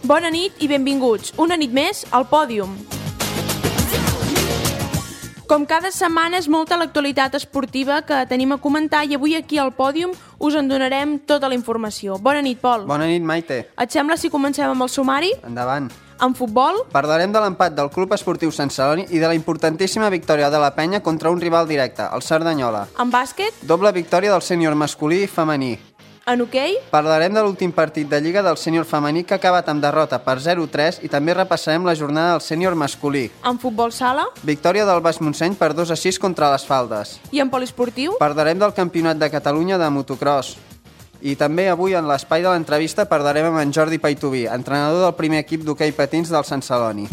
Bona nit i benvinguts, una nit més al Pòdium. Com cada setmana és molta l'actualitat esportiva que tenim a comentar i avui aquí al Pòdium us en donarem tota la informació. Bona nit, Pol. Bona nit, Maite. Et sembla si comencem amb el sumari? Endavant. En futbol? Parlarem de l'empat del Club Esportiu Sant Celoni i de la importantíssima victòria de la Penya contra un rival directe, el Cerdanyola. En bàsquet? Doble victòria del sènior masculí i femení. En hoquei? Parlarem de l'últim partit de Lliga del sènior femení que ha acabat amb derrota per 0-3 i també repassarem la jornada del sènior masculí. En futbol sala? Victòria del Baix Montseny per 2-6 contra les Faldes. I en poliesportiu? Parlarem del Campionat de Catalunya de motocross. I també avui en l'espai de l'entrevista parlarem amb en Jordi Paituví, entrenador del primer equip d'hoquei patins del Sant Celoni.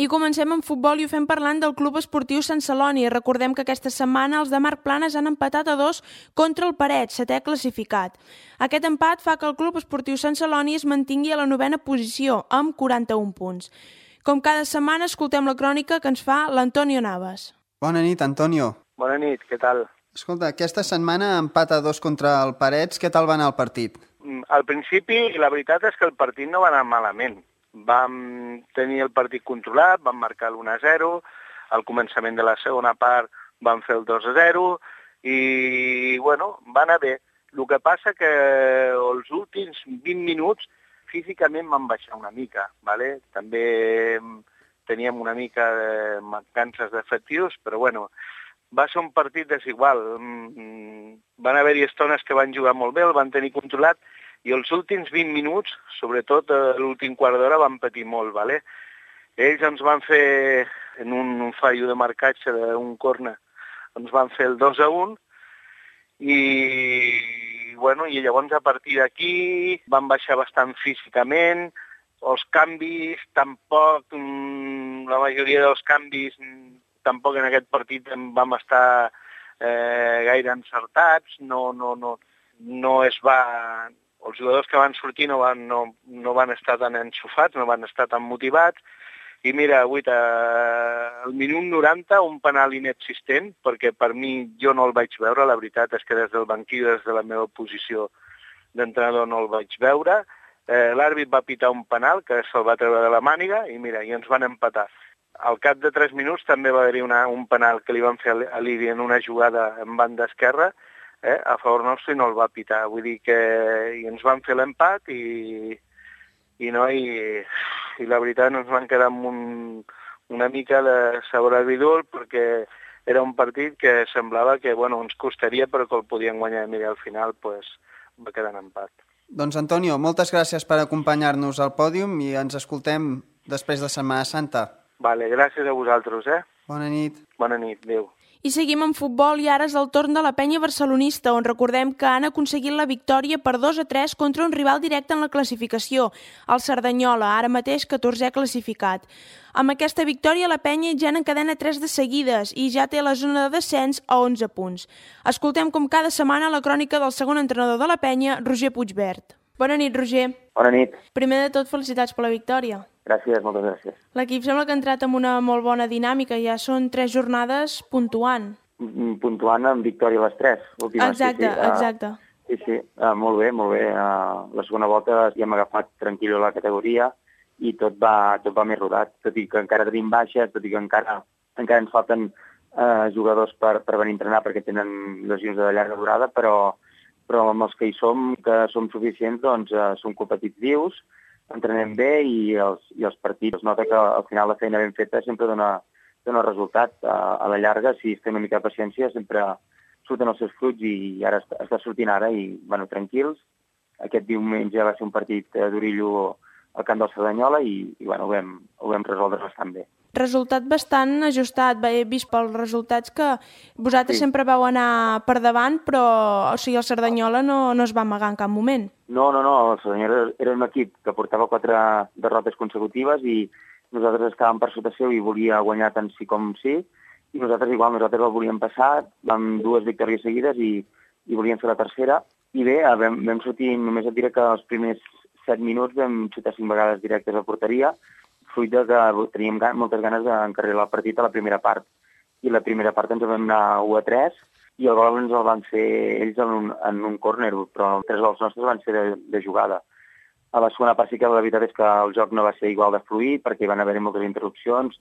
I comencem amb futbol i ho fem parlant del Club Esportiu Sant Celoni. Recordem que aquesta setmana els de Marc Planes han empatat a 2 contra el Parets, 7è classificat. Aquest empat fa que el Club Esportiu Sant Celoni es mantingui a la 9a posició, amb 41 punts. Com cada setmana, escoltem la crònica que ens fa l'Antonio Navas. Bona nit, Antonio. Bona nit, què tal? Escolta, aquesta setmana empat a 2 contra el Parets. Què tal va anar el partit? Al principi, la veritat és que el partit no va anar malament. Vam tenir el partit controlat, vam marcar l'1-0, al començament de la segona part vam fer el 2-0 i, bueno, va anar bé. El que passa que els últims 20 minuts físicament van baixar una mica, ¿vale? També teníem una mica de mancances d'efectius, però, bueno, va ser un partit desigual. Van haver-hi estones que van jugar molt bé, el van tenir controlat, i els últims 20 minuts, sobretot l'últim quart d'hora, van patir molt, ¿vale? Ells ens van fer, en un fallo de marcatge d'un córner, ens van fer el 2-1 i, bueno, i llavors a partir d'aquí van baixar bastant físicament, els canvis tampoc, la majoria dels canvis tampoc en aquest partit vam estar gaire encertats, no es va... Els jugadors que van sortir no van estar tan enxufats, no van estar tan motivats. I mira, avui al minut 90 un penal inexistent, perquè per mi jo no el vaig veure, la veritat és que des del banquí, des de la meva posició d'entrenador no el vaig veure. L'àrbit va pitar un penal que se'l va treure de la màniga i mira, i ens van empatar. Al cap de 3 minuts també va haver-hi un penal que li van fer a l'Ibi en una jugada en banda esquerra, a favor nostre i no el va pitar. Vull dir que ens van fer l'empat i la veritat ens van quedar amb una mica de sabor agridul perquè era un partit que semblava que ens costaria però que el podien guanyar. Mira, al final va quedar en empat. Doncs Antonio, moltes gràcies per acompanyar-nos al pòdium i ens escoltem després de Setmana Santa. Vale, gràcies a vosaltres, Bona nit. Bona nit, adéu. I seguim amb futbol i ara és el torn de la Penya barcelonista, on recordem que han aconseguit la victòria per 2-3 contra un rival directe en la classificació, el Cerdanyola, ara mateix 14è classificat. Amb aquesta victòria la Penya ja n'encadena 3 de seguides i ja té la zona de descens a 11 punts. Escoltem com cada setmana la crònica del segon entrenador de la Penya, Roger Puigvert. Bona nit, Roger. Bona nit. Primer de tot, felicitats per la victòria. Gràcies, moltes gràcies. L'equip sembla que ha entrat amb una molt bona dinàmica, ja són 3 jornades puntuant. Puntuant amb victòria a les 3. Exacte. Sí, molt bé, molt bé. La segona volta ja hem agafat tranquil·lo la categoria i tot va més rodat, tot i que encara tenim baixes, tot i que encara ens falten jugadors per venir a entrenar perquè tenen lesions de llarga durada, però amb els que hi som, que som suficients, doncs som competitius, entrenem bé i els partits es nota que al final la feina ben feta sempre dona resultat. A la llarga, si es té una mica de paciència, sempre surten els seus fruits i ara està sortint ara i, tranquils. Aquest diumenge va ser un partit d'Orillo al camp del Cerdanyola i ho vam resoldre bastant bé. Resultat bastant ajustat. He vist pels resultats que vosaltres sempre vau anar per davant, però el Cerdanyola no es va amagar en cap moment. No, el Cerdanyola era un equip que portava 4 derrotes consecutives i nosaltres estàvem per sota seu i volia guanyar tant sí com sí, i nosaltres el volíem passar, vam 2 victòries seguides i volíem fer la tercera. I bé, vam sortir, només et diré que els primers 7 minuts vam xutar 5 vegades directes a porteria, fruit que teníem moltes ganes d'encarrilar el partit a la primera part. I la primera part ens vam anar 1-3 i el gol ens el van fer ells en un córner, però 3 gols nostres van ser de jugada. A la segona part sí que la veritat és que el joc no va ser igual de fluid perquè hi van haver moltes interrupcions.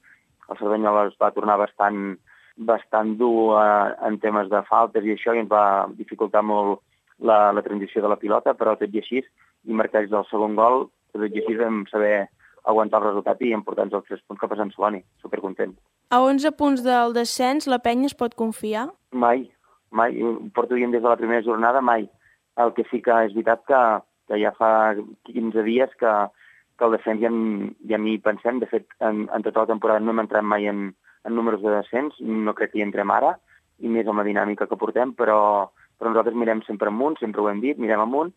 El Cerdanyola es va tornar bastant dur en temes de faltes i això, i ens va dificultar molt la transició de la pilota, però tot i així, i marcats del segon gol, tot i així vam saber aguantar el resultat i emportar-nos els 3 punts cap a Sant Celoni. Supercontent. A 11 punts del descens, la penya es pot confiar? Mai. Ho porto dient des de la primera jornada, mai. El que sí que és veritat que ja fa 15 dies que el descens ja ni pensem. De fet, en tota la temporada no hem entrat mai en números de descens, no crec que hi entrem ara, i més amb la dinàmica que portem, però nosaltres mirem sempre amunt, sempre ho hem dit, mirem amunt,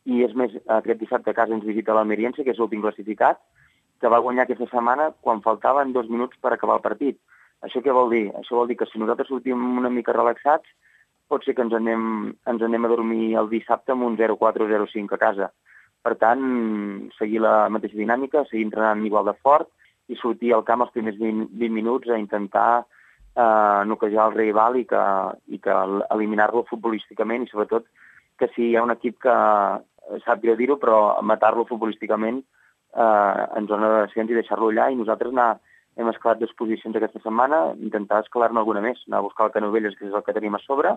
i és més, aquest dissabte a casa ens visita l'Almeriense, que és l'últim classificat, que va guanyar aquesta setmana quan faltaven 2 minuts per acabar el partit. Això què vol dir? Això vol dir que si nosaltres sortim una mica relaxats, pot ser que ens anem a dormir el dissabte amb un 0-4 o 0-5 a casa. Per tant, seguir la mateixa dinàmica, seguir entrenant igual de fort i sortir al camp els primers 20 minuts a intentar noquejar el rival i que eliminar-lo futbolísticament, i sobretot que si hi ha un equip que, sap greu dir-ho, però matar-lo futbolísticament en zona de descens i deixar-lo allà, i nosaltres hem escalat 2 posicions aquesta setmana, intentar escalar-ne alguna més, anar a buscar el Canovelles, que és el que tenim a sobre,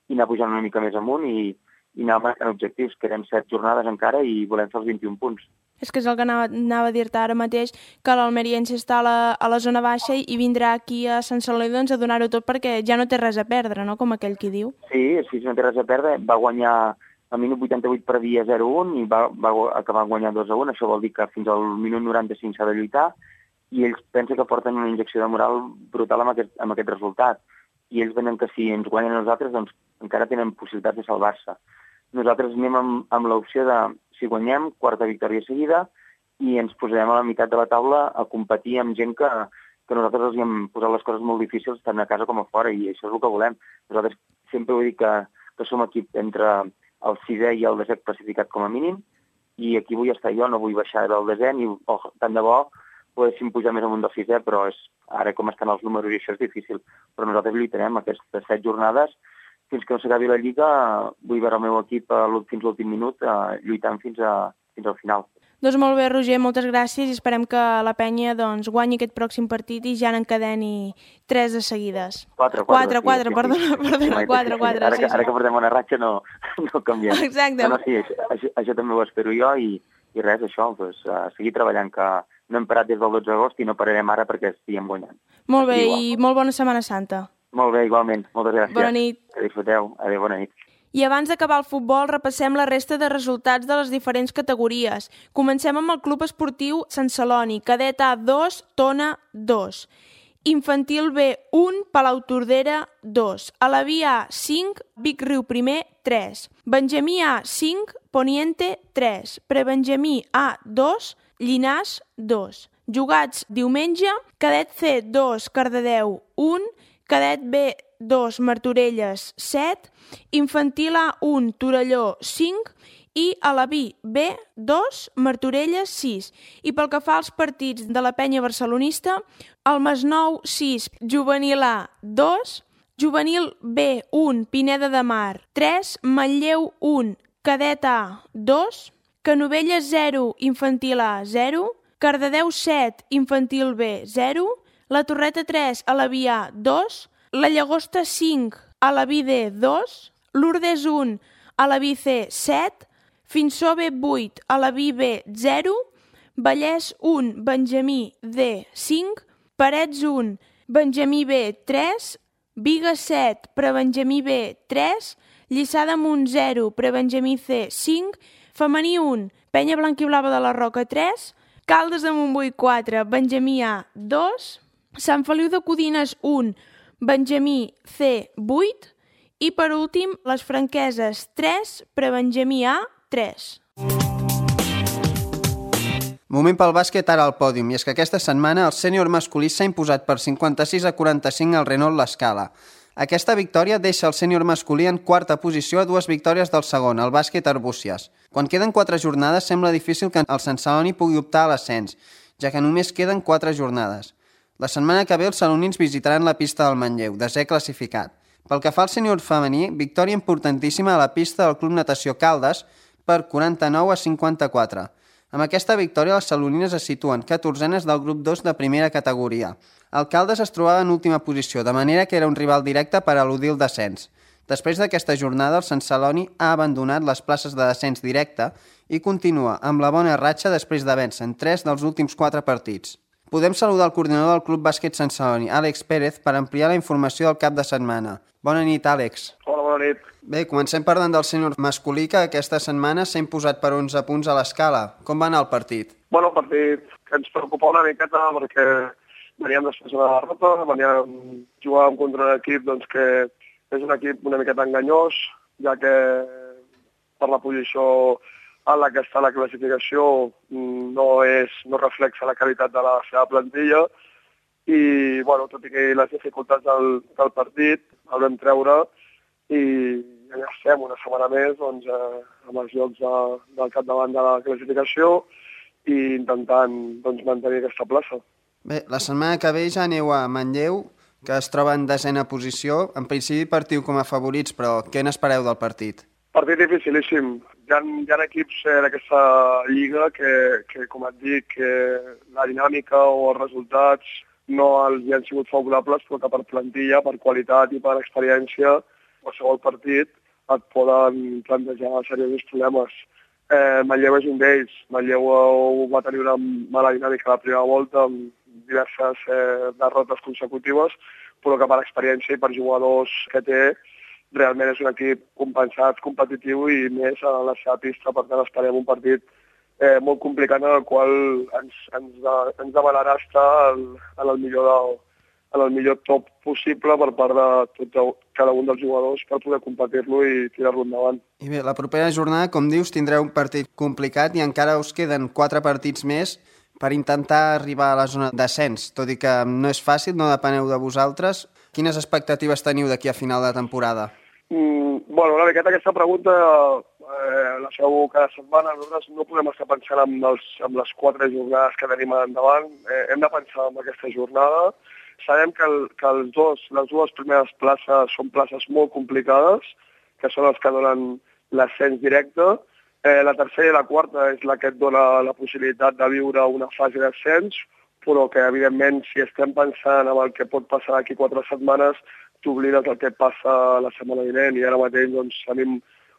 i anar pujant una mica més amunt i anar marcant objectius. Quedem 7 jornades encara i volem fer els 21 punts. És que és el que anava a dir-te ara mateix, que l'Almeriense està a la zona baixa i vindrà aquí a Sant Celoni doncs, a donar-ho tot perquè ja no té res a perdre, no?, com aquell qui diu. Sí, no té res a perdre. Va guanyar al minut 88 per dia 0-1 i va acabar guanyant 2-1. Això vol dir que fins al minut 95 s'ha de lluitar, i ells pensen que porten una injecció de moral brutal amb aquest resultat. I ells venen que si ens guanyen a nosaltres, doncs encara tenen possibilitats de salvar-se. Nosaltres anem amb l'opció de, si guanyem, 4a victòria seguida, i ens posarem a la meitat de la taula a competir amb gent que nosaltres els hem posat les coses molt difícils tant a casa com a fora, i això és el que volem. Nosaltres sempre ho dic que som equip entre el 6è i el 10è classificat com a mínim, i aquí vull estar jo, no vull baixar del 10è, ni tant de bo poguéssim pujar més amunt del 6è, però ara com estan els números i això és difícil. Però nosaltres lluitarem aquestes 7 jornades fins que no s'acabi la Lliga. Vull veure el meu equip fins l'últim minut lluitant fins al final. Doncs molt bé, Roger, moltes gràcies, i esperem que la penya guanyi aquest pròxim partit i ja n'encadeni 3 de seguides. 4, perdona, 4. Ara que portem una ratxa no canviem. Exacte. No, sí, això també ho espero jo, i res, això, seguir treballant, que no hem parat des del 12 d'agost i no pararem ara perquè estiguem guanyant. Molt bé, i molt bona Setmana Santa. Molt bé, igualment. Moltes gràcies. Bona nit. Que disfruteu. Adéu, bona nit. I abans d'acabar el futbol, repassem la resta de resultats de les diferents categories. Comencem amb el Club Esportiu Sant Celoni, cadet A 2, Tona 2. Infantil B 1, Palautordera 2. Alaví A 5, Vic Riu Primer 3. Benjamí A 5, Poniente 3. Prebenjamí A 2, Llinàs 2. Jugats diumenge, cadet C 2, Cardedeu 1, cadet B 2, Martorelles 7, Infantil A 1, Torelló 5 i Alaví B 2, Martorelles 6. I pel que fa als partits de la penya barcelonista, el Masnou 6, Juvenil A 2, Juvenil B 1, Pineda de Mar 3, Manlleu 1, cadet A 2, Canovelles 0, Infantil A 0, Cardedeu 7, Infantil B 0, la Torreta 3, Alaví A 2, la Llagosta 5, Alaví D 2, Lourdes 1, Alaví C 7, Finsó B 8, Alaví B 0, Vallès 1, Benjamí D 5, Parets 1, Benjamí B 3, Bigues 7, Prebenjamí B 3, Lliçà d'Amunt 0, Prebenjamí C 5, Femení 1, Penya Blanquiblava de la Roca 3, Caldes de Montbui 4, Benjamí A 2, Sant Feliu de Codines 1, Benjamí C 8 i per últim les Franqueses 3, Prebenjamí A 3. Moment pel bàsquet ara al pòdium, i és que aquesta setmana el sènior masculí s'ha imposat per 56-45 al Renault L'Escala. Aquesta victòria deixa el sènior masculí en quarta posició a 2 victòries del segon, el bàsquet Arbúcies. Quan queden 4 jornades sembla difícil que el Sant Celoni pugui optar a l'ascens, ja que només queden 4 jornades. La setmana que ve els salonins visitaran la pista del Manlleu, 10è classificat. Pel que fa al sènior femení, victòria importantíssima a la pista del Club Natació Caldes per 49-54. Amb aquesta victòria, les salonines es situen 14enes del grup 2 de primera categoria. El Caldes es trobava en última posició, de manera que era un rival directe per eludir el descens. Després d'aquesta jornada, el Sant Celoni ha abandonat les places de descens directe i continua amb la bona ratxa després de vèncer en 3 dels últims 4 partits. Podem saludar el coordinador del Club Bàsquet Sant Celoni, Àlex Pérez, per ampliar la informació del cap de setmana. Bona nit, Àlex. Hola, bona nit. Bé, comencem parlant del sènior masculí, que aquesta setmana s'ha imposat per 11 punts a l'escala. Com va anar el partit? Bueno, el partit que ens preocupa una miqueta perquè veníem després d'una derrota, jugàvem contra un equip doncs, que és un equip una miqueta enganyós, ja que per la posició en la que està la classificació no reflexa la qualitat de la seva plantilla i, bueno, tot i que les dificultats del partit el vam treure i ja estem una setmana més doncs, amb els llocs del capdavant de la classificació i intentant doncs, mantenir aquesta plaça. Bé, la setmana que ve ja aneu a Manlleu, que es troba en 10a posició. En principi partiu com a favorits, però què n'espereu del partit? Partit dificilíssim. Hi ha equips d'aquesta lliga que, com et dic, que la dinàmica o els resultats no els han sigut favorables, però que per plantilla, per qualitat i per experiència, qualsevol partit et poden plantejar seriosos problemes. Manlleu és un d'ells. Manlleu va tenir una mala dinàmica a la primera volta, amb diverses derrotes consecutives, però que per experiència i per jugadors que té, realment és un equip compensat, competitiu i més a la seva pista. Per tant, esperem un partit molt complicat en el qual ens demanarà estar en el millor top possible per part de cada un dels jugadors per poder competir-lo i tirar-lo endavant. I bé, la propera jornada, com dius, tindreu un partit complicat i encara us queden 4 partits més per intentar arribar a la zona d'ascens, tot i que no és fàcil, no depeneu de vosaltres. Quines expectatives teniu d'aquí a final de temporada? Bueno, una miqueta aquesta pregunta la feu cada setmana. Nosaltres no podem estar pensant en les 4 jornades que tenim endavant. Hem de pensar en aquesta jornada. Sabem que les dues primeres places són places molt complicades, que són els que donen l'ascens directe. La tercera i la quarta és la que et dona la possibilitat de viure una fase d'ascens, però que, evidentment, si estem pensant en el que pot passar d'aquí 4 setmanes, t'oblides del que passa la setmana vinent. I ara mateix doncs, tenim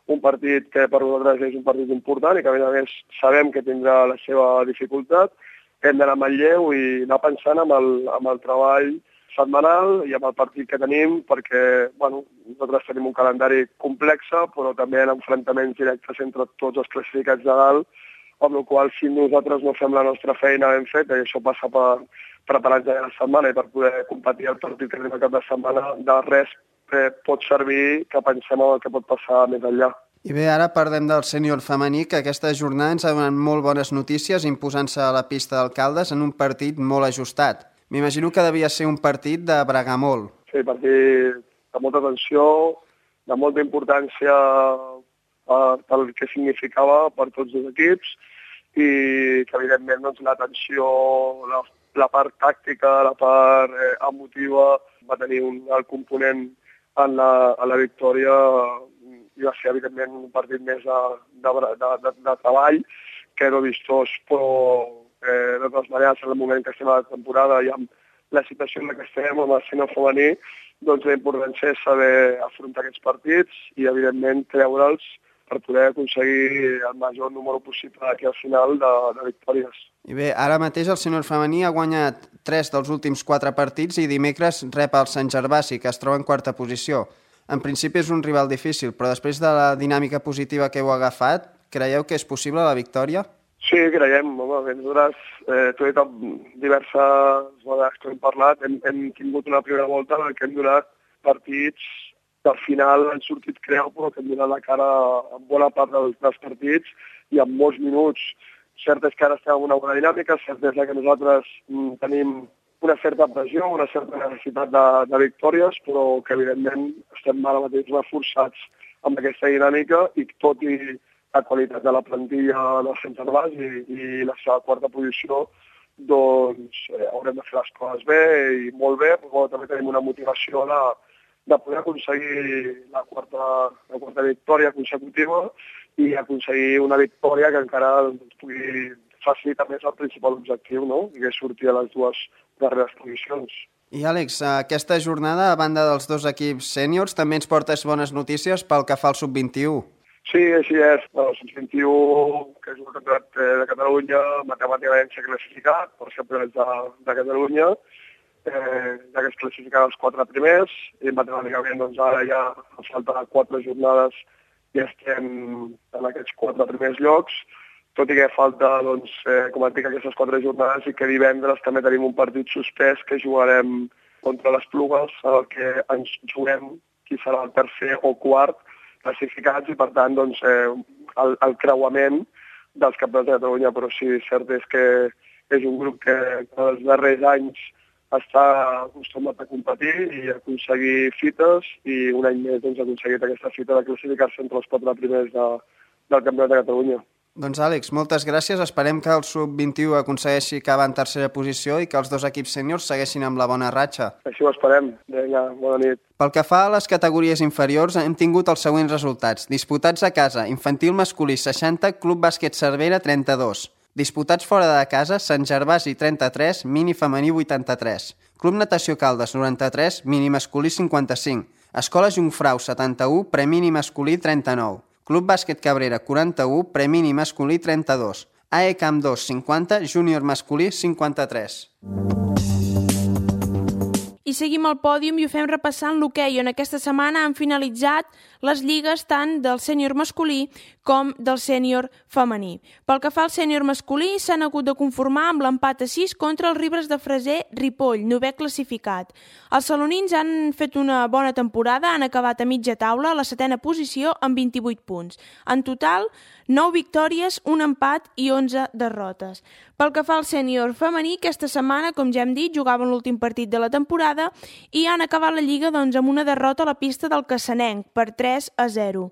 un partit que per nosaltres és un partit important i que, a més, sabem que tindrà la seva dificultat. Hem d'anar a Manlleu i anar pensant en el treball setmanal i amb el partit que tenim, perquè nosaltres tenim un calendari complex, però també en enfrontaments directes entre tots els classificats de dalt, amb la qual cosa, si nosaltres no fem la nostra feina ben feta, i això passa per preparar-nos la setmana i per poder competir el partit que tenim a cap de setmana, de res pot servir que pensem en el que pot passar més enllà. I bé, ara parlem del sènior femení, que aquesta jornada ens ha donat molt bones notícies, imposant-se a la pista d'Alcaldes en un partit molt ajustat. M'imagino que devia ser un partit de bregar molt. Sí, partit de molta tensió, de molta importància pel que significava per tots els equips i que, evidentment, doncs, la tensió, la part tàctica, la part emotiva va tenir el component en la victòria i va ser, evidentment, un partit més de treball que no vistós, però de totes maneres, en el moment que estem a la temporada i amb la situació en la que estem, amb el sènior femení, doncs la importància és saber afrontar aquests partits i, evidentment, treure'ls per poder aconseguir el major número possible aquí al final de victòries. I bé, ara mateix el sènior femení ha guanyat 3 dels últims 4 partits i dimecres rep el Sant Gervasi, que es troba en 4a posició. En principi és un rival difícil, però després de la dinàmica positiva que heu agafat, creieu que és possible la victòria? Sí, creiem. Nosaltres, t'ho he dit diverses vegades que hem parlat, hem tingut una primera volta en què hem donat partits que al final han sortit creu, però que hem donat la cara en bona part dels partits i en molts minuts. Cert és que ara estem en una bona dinàmica, cert és que nosaltres tenim una certa pressió, una certa necessitat de victòries, però que evidentment estem ara mateix reforçats amb aquesta dinàmica i tot i la qualitat de la plantilla del Sant Gervasi i la seva 4a posició, doncs haurem de fer les coses bé i molt bé, però també tenim una motivació de poder aconseguir la quarta victòria consecutiva i aconseguir una victòria que encara ens pugui facilita més el principal objectiu, no? Que és sortir a les dues darreres posicions. I Àlex, aquesta jornada, a banda dels dos equips sèniors, també ens portes bones notícies pel que fa al sub-21. Sí, així és. El sub-21, que és un campionat de Catalunya, matemàticament s'ha classificat per ser campionats de Catalunya, ja que es classificaran els 4 primers, i matemàticament doncs, ara ja falten 4 jornades i estem en aquests 4 primers llocs, tot i que falta, doncs, com et dic, aquestes 4 jornades i que divendres també tenim un partit suspès que jugarem contra les Plugues, en el que ens juguem qui serà el tercer o quart classificats i, per tant, doncs, el creuament dels campionats de Catalunya. Però sí, cert és que és un grup que els darrers anys està acostumat a competir i a aconseguir fites, i un any més doncs, ha aconseguit aquesta fita de classificar-se entre els 4 primers del campionat de Catalunya. Doncs Àlex, moltes gràcies. Esperem que el sub-21 aconsegueixi acabar en tercera posició i que els dos equips sèniors segueixin amb la bona ratxa. Així ho esperem. Vinga, bona nit. Pel que fa a les categories inferiors, hem tingut els següents resultats. Disputats a casa, infantil masculí 60, Club Bàsquet Cervera 32. Disputats fora de casa, Sant Gervasi 33, mini femení 83. Club Natació Caldes 93, mini masculí 55. Escola Jungfrau 71, premini masculí 39. Club Bàsquet Cabrera 41, premini masculí 32. AE Camp 2 50, júnior masculí 53. I seguim al pòdium i ho fem repassant l'hoquei, on aquesta setmana han finalitzat les lligues tant del sènior masculí com del sènior femení. Pel que fa al sènior masculí, s'han hagut de conformar amb l'empat a 6 contra els Ribes de Freser Ripoll, 9è classificat. Els salonins han fet una bona temporada, han acabat a mitja taula a la 7a posició amb 28 punts. En total, 9 victòries, un empat i 11 derrotes. Pel que fa al sènior femení, aquesta setmana, com ja hem dit, jugaven l'últim partit de la temporada i han acabat la lliga doncs, amb una derrota a la pista del Cassanenc per 3-0.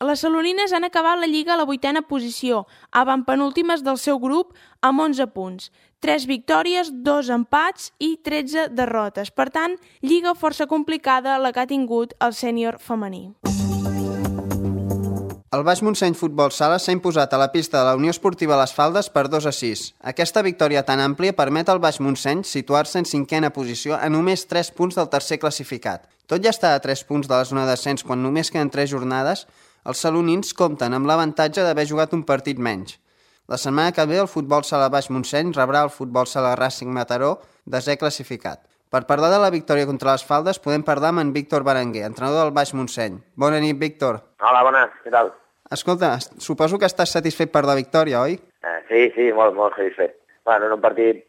Les salonines han acabat la lliga a la 8a posició, avantpenúltimes del seu grup amb 11 punts. 3 victòries, 2 empats i 13 derrotes. Per tant, lliga força complicada la que ha tingut el sènior femení. El Baix Montseny Futbol Sala s'ha imposat a la pista de la Unió Esportiva Les Faldes per 2-6. Aquesta victòria tan àmplia permet al Baix Montseny situar-se en 5a posició a només 3 punts del tercer classificat. Tot ja està a 3 punts de la zona d'ascens quan només queden 3 jornades, els salonins compten amb l'avantatge d'haver jugat un partit menys. La setmana que ve el Futbol Sala Baix Montseny rebrà el Futbol Sala Racing Mataró, 10è classificat. Per parlar de la victòria contra les Faldes podem parlar amb en Víctor Berenguer, entrenador del Baix Montseny. Bona nit, Víctor. Hola, bona, què tal? Escolta, suposo que estàs satisfet per la victòria, oi? Sí, molt satisfet. Bueno, en un partit,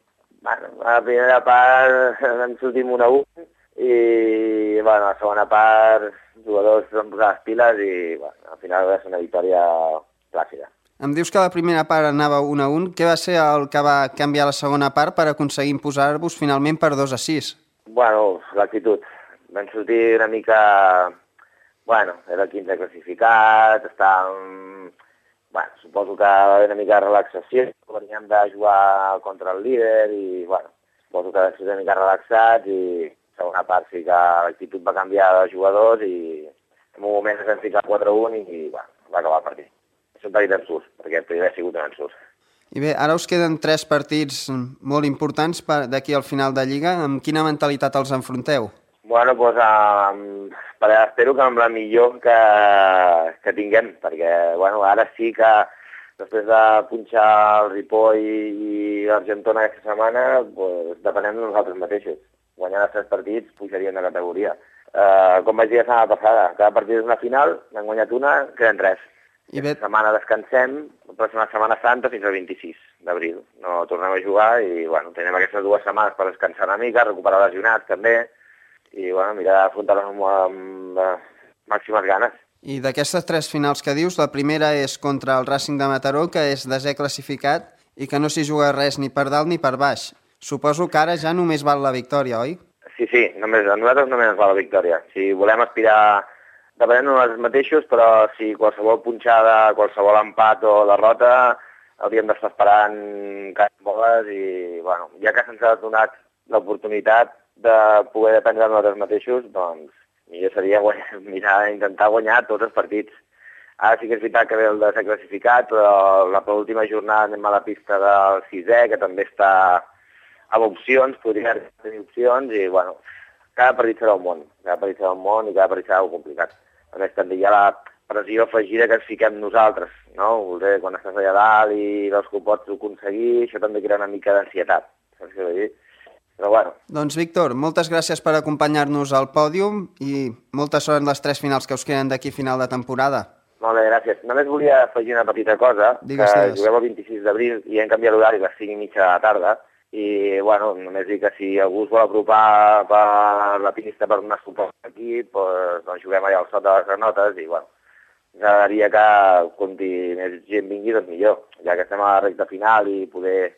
a la primera part ens sortim 1-1 i a la segona part els jugadors van posar les piles i al final va ser una victòria plàcida. Em dius que la primera part anava 1-1. Què va ser el que va canviar la segona part per aconseguir imposar-vos finalment per 2-6? Bueno, l'actitud. Vam sortir una mica... Bueno, era el 15è classificat, estàvem... Bueno, suposo que va haver una mica de relaxació, veníem de jugar contra el líder i, bueno, suposo que vam ser una mica relaxats i segona part sí que l'actitud va canviar de jugadors i en un moment es vam ficar 4-1 i, bueno, va acabar el partit. És un partit ensurt, perquè el primer ha sigut un ensurt. I bé, ara us queden 3 partits molt importants d'aquí al final de Lliga. Amb quina mentalitat els enfronteu? Bueno, doncs espero que amb la millor que tinguem, perquè bueno, ara sí que després de punxar el Ripoll i l'Argentona aquesta setmana, doncs, depenem de nosaltres mateixos. Guanyant els 3 partits pujaríem de categoria. Com vaig dir la setmana passada, cada partit és una final, n'han guanyat una, queden 3. I aquesta setmana descansem, la pròxima Setmana Santa fins al 26 d'abril. No tornem a jugar i bueno, tenim aquestes 2 setmanes per descansar una mica, recuperar lesionats també, i bueno, mirar d'afrontar-les amb màximes ganes. I d'aquestes 3 finals que dius, la primera és contra el Racing de Mataró, que és 10è classificat i que no s'hi juga res ni per dalt ni per baix. Suposo que ara ja només val la victòria, oi? Sí, a nosaltres només ens val la victòria. Si volem aspirar, depenem de nosaltres mateixos, però si qualsevol punxada, qualsevol empat o derrota, hauríem d'estar esperant boles i, bueno, ja que se'ns ha donat l'oportunitat de poder dependre de nosaltres mateixos, doncs millor seria intentar guanyar tots els partits. Ara sí que és veritat que ve el desè classificat, però la penúltima jornada anem a la pista del sisè, que també està amb opcions, podria tenir opcions, i bueno, cada partit serà un món, i cada partit serà algo complicat. A més, també hi ha la pressió afegida que ens fiquem nosaltres, no? Voler, quan estàs allà dalt i veus que ho pots aconseguir, això també crea una mica d'ansietat, saps què vull dir? Però bueno. Doncs Víctor, moltes gràcies per acompanyar-nos al pòdium i molta sort en les 3 finals que us queden d'aquí final de temporada. Molt bé, gràcies. Només volia afegir una petita cosa, Digues. Juguem el 26 d'abril i hem canviat l'horari a les 5:30 de la tarda, i bueno, només dic que si algú es vol apropar per la pista per donar suport a l'equip, doncs juguem allà al sot de les granotes i bueno, ens agradaria que conti més gent vingui, doncs millor. Ja que estem a la recta final i poder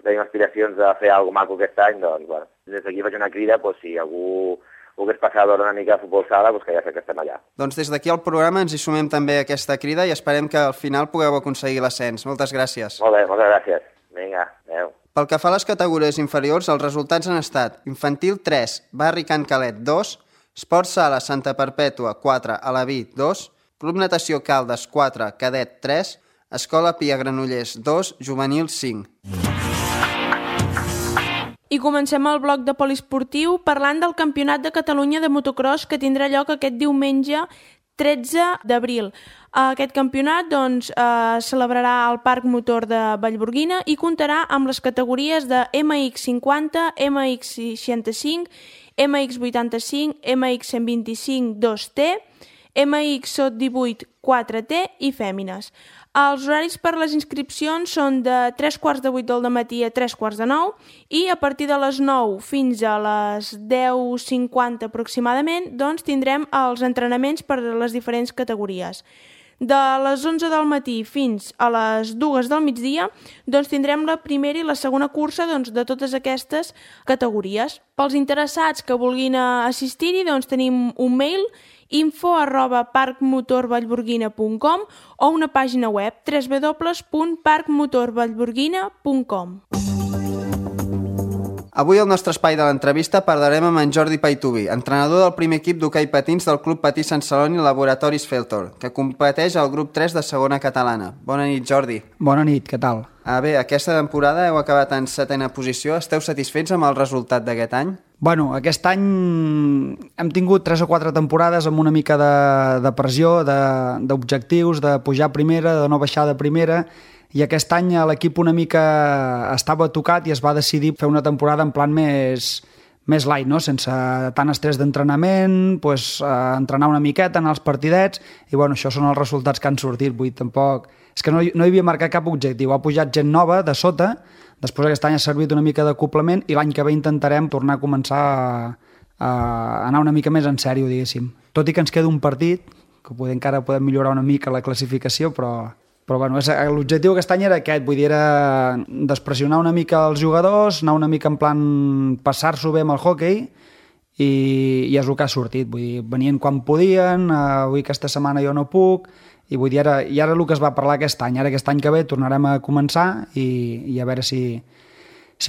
tenim aspiracions de fer alguna cosa maco aquest any, doncs, bueno, des d'aquí faig una crida, doncs, si algú volgués passar a veure una mica de futbol sala, doncs que ja sé que estem allà. Doncs des d'aquí al programa ens hi sumem també a aquesta crida i esperem que al final pugueu aconseguir l'ascens. Moltes gràcies. Molt bé, moltes gràcies. Vinga, adeu. Pel que fa a les categories inferiors, els resultats han estat Infantil 3, Barri Can Calet 2, Esport Sala Santa Perpètua 4, Alaví 2, Club Natació Caldes 4, Cadet 3, Escola Pia Granollers 2, Juvenil 5. I comencem el bloc de poliesportiu parlant del Campionat de Catalunya de motocross que tindrà lloc aquest diumenge 13 d'abril. Aquest campionat celebrarà al Parc Motor de Vallgorguina i comptarà amb les categories de MX50, MX65, MX85, MX125 2T, MX Sot 18 4T i fèmines. Els horaris per les inscripcions són de 3:15 del matí a 8:45 i a partir de les 9 fins a les 10:50 aproximadament tindrem els entrenaments per a les diferents categories. De les 11 del matí fins a les 2 del migdia tindrem la primera i la segona cursa de totes aquestes categories. Pels interessats que vulguin assistir-hi tenim un mail info@parcmotorvallgorguina.com o una pàgina web www.parcmotorvallgorguina.com. Avui al nostre espai de l'entrevista parlarem amb en Jordi Paitubi, entrenador del primer equip d'hoquei patins del Club Patí Sant Celoni Laboratoris Feltor, que competeix al grup 3 de segona catalana. Bona nit, Jordi. Bona nit, què tal? Bé, aquesta temporada heu acabat en 7ª posició. Esteu satisfets amb el resultat d'aquest any? Bueno, aquest any hem tingut 3 o 4 temporades amb una mica de pressió, d'objectius, de pujar a primera, de no baixar de primera, i aquest any l'equip una mica estava tocat i es va decidir fer una temporada en plan més light, no? Sense tant estrès d'entrenament, entrenar una miqueta, anar als partidets, i bueno, això són els resultats que han sortit. Vull dir, tampoc... És que no hi havia marcat cap objectiu, ha pujat gent nova de sota, després aquest any ha servit una mica d'acoplament i l'any que ve intentarem tornar a començar a anar una mica més en sèrio, diguéssim. Tot i que ens queda un partit, que encara podem millorar una mica la classificació, però bueno, l'objectiu aquest any era aquest, vull dir, era despressionar una mica els jugadors, anar una mica en plan passar-s'ho bé amb el hoquei, i és el que ha sortit. Vull dir, venien quan podien, avui aquesta setmana jo no puc, i vull dir, ara el que es va parlar aquest any. Ara aquest any que ve tornarem a començar i a veure si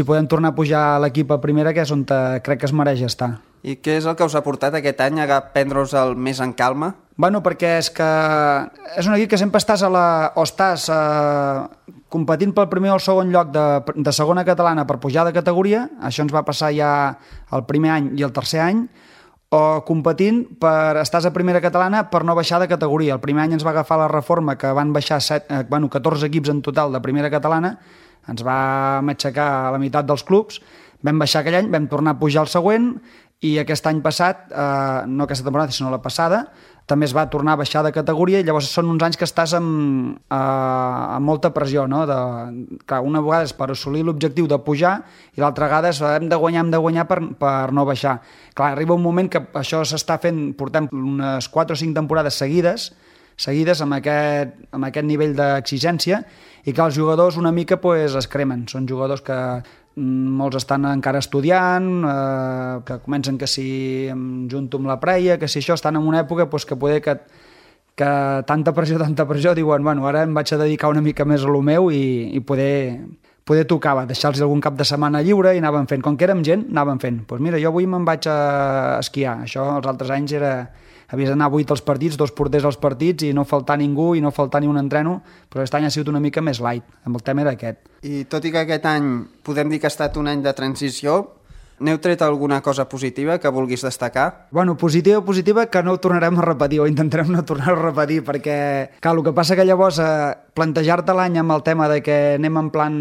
podem tornar a pujar a l'equip a primera, que és on crec que es mereix estar. I què és el que us ha portat aquest any a prendre-us-el més en calma? Bueno, perquè és un equip que sempre estàs competint pel primer o el segon lloc de segona catalana per pujar de categoria, això ens va passar ja el primer any i el tercer any, o competint estàs a primera catalana per no baixar de categoria. El primer any ens va agafar la reforma que van baixar 14 equips en total de primera catalana, ens va aixecar a la meitat dels clubs, vam baixar aquell any, vam tornar a pujar el següent, i aquest any passat, no aquesta temporada sinó la passada, també es va tornar a baixar de categoria, i llavors són uns anys que estàs amb molta pressió, no? Clar, una vegada és per assolir l'objectiu de pujar i l'altra vegada és hem de guanyar per no baixar. Clar, arriba un moment que això s'està fent, portem unes 4 o 5 temporades seguides amb aquest nivell d'exigència, i que els jugadors una mica es cremen. Són jugadors que molts estan encara estudiant, que comencen que si em junto amb la preia, que si això, estan en una època que poder que tanta pressió, diuen, bueno, ara em vaig a dedicar una mica més a lo meu i poder poder tocava deixar-los algun cap de setmana lliure i anàvem fent. Com que érem gent, anàvem fent. Doncs mira, jo avui me'n vaig a esquiar. Això els altres anys havies d'anar 8 als partits, 2 porters als partits i no faltar ningú i no faltar ni un entreno, però aquest any ha sigut una mica més light. El tema era aquest. I tot i que aquest any podem dir que ha estat un any de transició, n'heu tret alguna cosa positiva que vulguis destacar? Bueno, positiva que no ho tornarem a repetir o intentarem no tornar-ho a repetir perquè, clar, el que passa que llavors plantejar-te l'any amb el tema de que anem en plan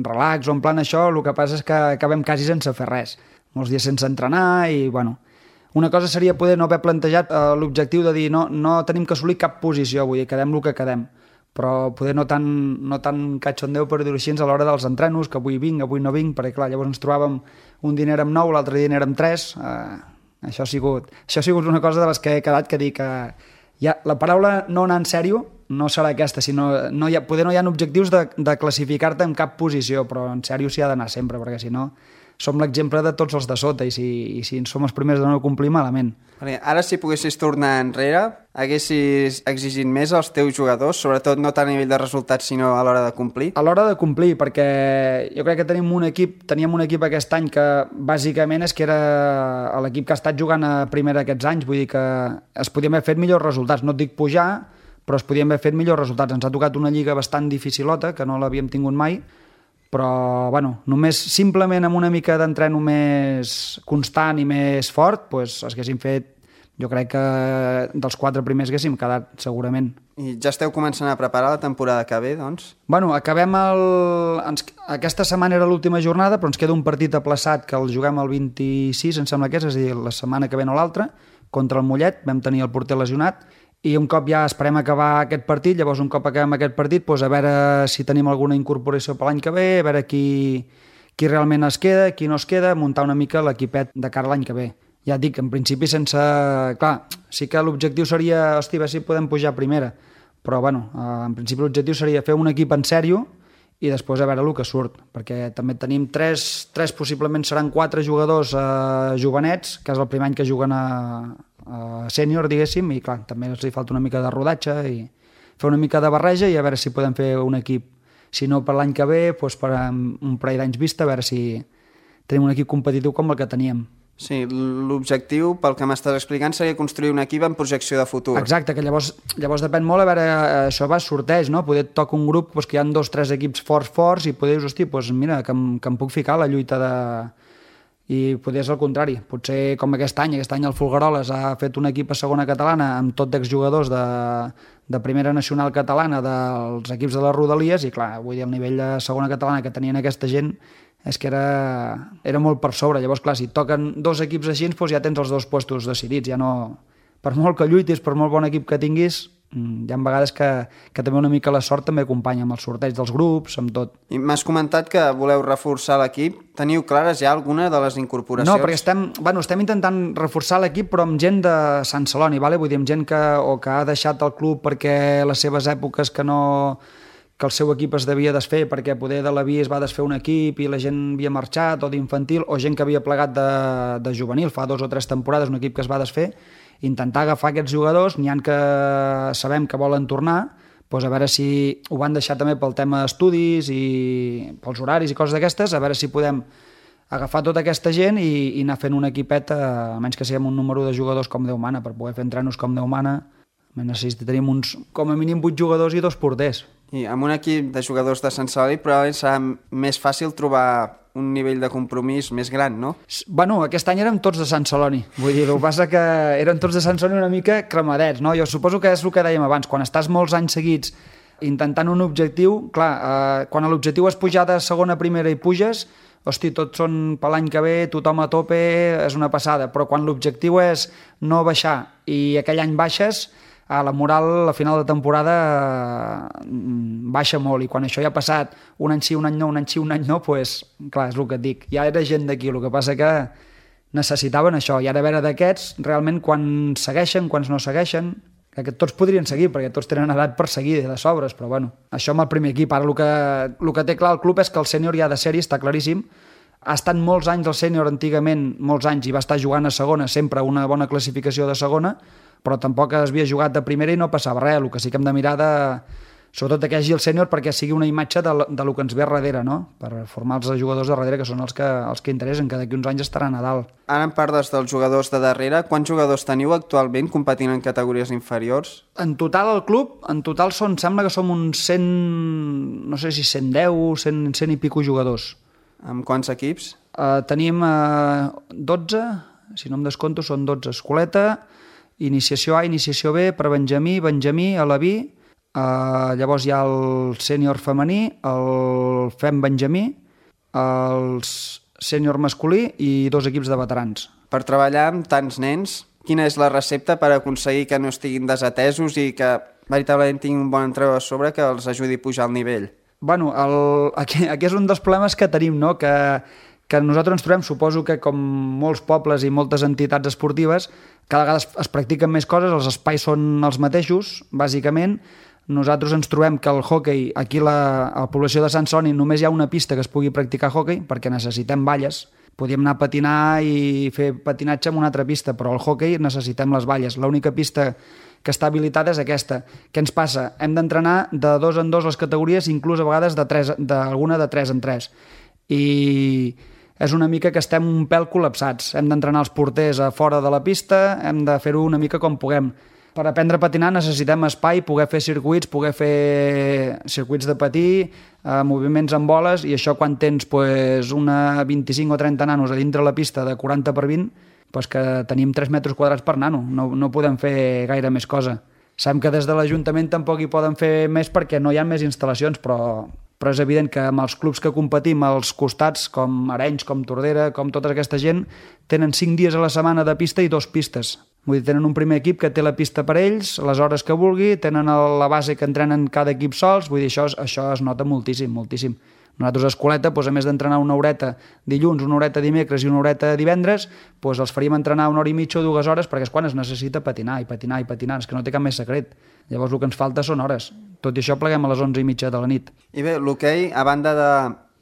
relax o en plan això, el que passa és que acabem quasi sense fer res. Molts dies sense entrenar i, bueno, una cosa seria poder no haver plantejat l'objectiu de dir no tenim que assolir cap posició, vull dir, quedem el que quedem, però poder no tan catxondeu, per dir-ho així, a l'hora dels entrenos, que avui vinc, avui no vinc, perquè clar, llavors ens trobàvem un dia érem 9, l'altre dia érem 3, això ha sigut una cosa de les que he quedat que dic que la paraula no anar en sèrio no serà aquesta, sinó poder no hi ha objectius de classificar-te en cap posició, però en sèrio s'hi ha d'anar sempre, perquè si no som l'exemple de tots els de sota i si som els primers de no complir, malament. Ara, si poguessis tornar enrere, haguessis exigit més als teus jugadors, sobretot no tant a nivell de resultats, sinó a l'hora de complir? A l'hora de complir, perquè jo crec que teníem un equip aquest any que bàsicament és que era l'equip que ha estat jugant a primera aquests anys, vull dir que es podien haver fet millors resultats, no et dic pujar, però es podien haver fet millors resultats. Ens ha tocat una lliga bastant dificilota, que no l'havíem tingut mai, però bueno, només simplement amb una mica d'entreno més constant i més fort, doncs haguéssim fet, jo crec que dels 4 primers haguéssim quedat segurament. I ja esteu començant a preparar la temporada que ve, doncs? Bueno, acabem aquesta setmana era l'última jornada, però ens queda un partit aplaçat que el juguem el 26, em sembla que és a dir, la setmana que ve o l'altra, contra el Mollet, vam tenir el porter lesionat, i un cop ja esperem acabar aquest partit, llavors un cop acabem aquest partit, doncs a veure si tenim alguna incorporació per l'any que ve, a veure qui realment es queda, qui no es queda, muntar una mica l'equipet de cara a l'any que ve. Ja et dic, en principi sense... Clar, sí que l'objectiu seria, hosti, a veure si podem pujar a primera, però bueno, en principi l'objectiu seria fer un equip en sèrio i després a veure el que surt, perquè també tenim 3 possiblement seran 4 jugadors jovenets, que és el primer any que juguen a sènior, diguéssim, i clar, també els hi falta una mica de rodatge i fer una mica de barreja i a veure si podem fer un equip. Si no per l'any que ve, doncs per un parell d'anys vista, a veure si tenim un equip competitiu com el que teníem. Sí, l'objectiu, pel que m'estàs explicant, seria construir un equip en projecció de futur. Exacte, que llavors depèn molt, a veure, això va sorteig, no? Poder tocar un grup doncs, que hi ha 2 o 3 equips forts i poder dir, hosti, doncs mira, que em puc ficar a la lluita de... I poder és el contrari, potser com aquest any el Folgueroles ha fet un equip a segona catalana amb tot d'exjugadors de primera nacional catalana dels equips de les Rodalies i clar, vull dir, el nivell de segona catalana que tenien aquesta gent és que era molt per sobre, llavors clar, si toquen 2 equips així, doncs ja tens els 2 puestos decidits, ja no... Per molt que lluitis, per molt bon equip que tinguis, hi ha vegades que també una mica la sort també acompanya amb el sorteig dels grups, amb tot. I m'has comentat que voleu reforçar l'equip. Teniu clares ja alguna de les incorporacions? No, perquè estem intentant reforçar l'equip, però amb gent de Sant Celoni, vale? Vull dir, amb gent que ha deixat el club perquè les seves èpoques que el seu equip es devia desfer, perquè poder de la via es va desfer un equip i la gent havia marxat, o d'infantil, o gent que havia plegat de juvenil fa 2 o 3 temporades, un equip que es va desfer, intentar agafar aquests jugadors, n'hi ha que sabem que volen tornar, doncs a veure si ho van deixar també pel tema d'estudis i pels horaris i coses d'aquestes, a veure si podem agafar tota aquesta gent i anar fent un equipet, almenys que siguem un número de jugadors com Déu mana, per poder fer entrenos com Déu mana, necessitaríem com a mínim 8 jugadors i 2 porters. I amb un equip de jugadors de Sant Celoni probablement serà més fàcil trobar un nivell de compromís més gran, no? Bueno, aquest any érem tots de Sant Celoni. Vull dir, el que passa que eren tots de Sant Celoni una mica cremadets, no? Jo suposo que és el que dèiem abans, quan estàs molts anys seguits intentant un objectiu, clar, quan l'objectiu és pujar de segona a primera i puges, hosti, tots són per l'any que ve, tothom a tope, és una passada, però quan l'objectiu és no baixar i aquell any baixes, la moral a final de temporada baixa molt i quan això ja ha passat un any sí, un any no, un any sí, un any no, doncs clar, és el que et dic, ja era gent d'aquí, el que passa que necessitaven això i ara a veure d'aquests realment quan segueixen, quants no segueixen, que tots podrien seguir perquè tots tenen edat per seguir de sobres, però bueno, això amb el primer equip, ara el que té clar el club és que el sènior ja de sèrie està claríssim, ha estat molts anys el sènior antigament, molts anys i va estar jugant a segona, sempre una bona classificació de segona, però tampoc havia jugat de primera i no passava res, el que sí que hem de mirar sobretot que hi hagi el sènior perquè sigui una imatge de lo que ens ve darrere, no? Per formar els jugadors de darrere, que són els que interessen, que d'aquí uns anys estaran a dalt. Ara en parles dels jugadors de darrere. Quants jugadors teniu actualment competint en categories inferiors? En total al club, sembla que som uns 100, no sé si 110, 100 i pico jugadors. Amb quants equips? Tenim 12, si no em descompto, són 12. Escoleta, iniciació A, iniciació B, per Benjamí, Alaví, llavors hi ha el sènior femení, el fem Benjamí, el sènior masculí i 2 equips de veterans. Per treballar amb tants nens, quina és la recepta per aconseguir que no estiguin desatesos i que veritablement tinguin un bon entrenador a sobre que els ajudi a pujar el nivell? Bueno, aquí és un dels problemes que tenim, no? Que nosaltres ens trobem, suposo que com molts pobles i moltes entitats esportives, cada vegada es practiquen més coses, els espais són els mateixos, bàsicament. Nosaltres ens trobem que el hoquei, aquí a la població de Sant Celoni només hi ha una pista que es pugui practicar hoquei, perquè necessitem valles. Podíem anar a patinar i fer patinatge en una altra pista, però el hoquei necessitem les valles. L'única pista que està habilitada és aquesta. Què ens passa? Hem d'entrenar de 2 en 2 les categories, inclús a vegades d'alguna de 3 en 3. I és una mica que estem un pèl col·lapsats. Hem d'entrenar els porters a fora de la pista, hem de fer-ho una mica com puguem. Per aprendre a patinar necessitem espai, poder fer circuits de patí, moviments amb boles, i això quan tens una 25 o 30 nanos a dintre la pista de 40 per 20, que tenim 3 metres quadrats per nano, no podem fer gaire més cosa. Sabem que des de l'Ajuntament tampoc hi poden fer més perquè no hi ha més instal·lacions, però és evident que amb els clubs que competim als costats, com Arenys, com Tordera, com tota aquesta gent, tenen 5 dies a la setmana de pista i 2 pistes. Vull dir, tenen un primer equip que té la pista per ells, les hores que vulgui, tenen la base que entrenen cada equip sols, vull dir, això es nota moltíssim, moltíssim. Nosaltres a Escoleta, a més d'entrenar una horeta dilluns, una horeta dimecres i una horeta divendres, els faríem entrenar 1 hora i mitja o 2 hores, perquè és quan es necessita patinar, és que no té cap més secret. Llavors el que ens falta són hores. Tot i això pleguem a les 11:30 de la nit. I bé, l'hoquei, a banda